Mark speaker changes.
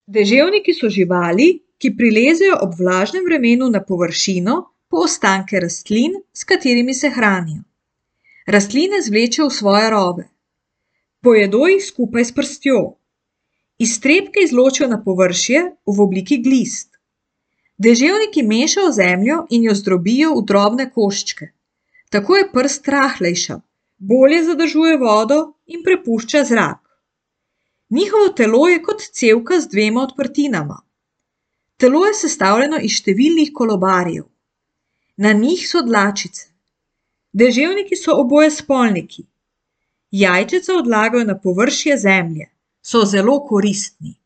Speaker 1: Deževniki so živali, ki prilezejo ob vlažnem vremenu na površino po ostanke rastlin, s katerimi se hranijo. Rastline zvlečejo v svoje rove. Pojedo jih skupaj s prstjo. Iztrebke izločijo na površje v obliki glist. Deževniki mešajo zemljo in jo zdrobijo v drobne koščke. Tako je prst rahlejša, bolje zadržuje vodo in prepušča zrak. Njihovo telo je kot cevka z dvema odprtinama. Telo je sestavljeno iz številnih kolobarjev. Na njih so dlačice. Deževniki so obojespolniki. Jajčeca odlagajo na površje zemlje. So zelo koristni.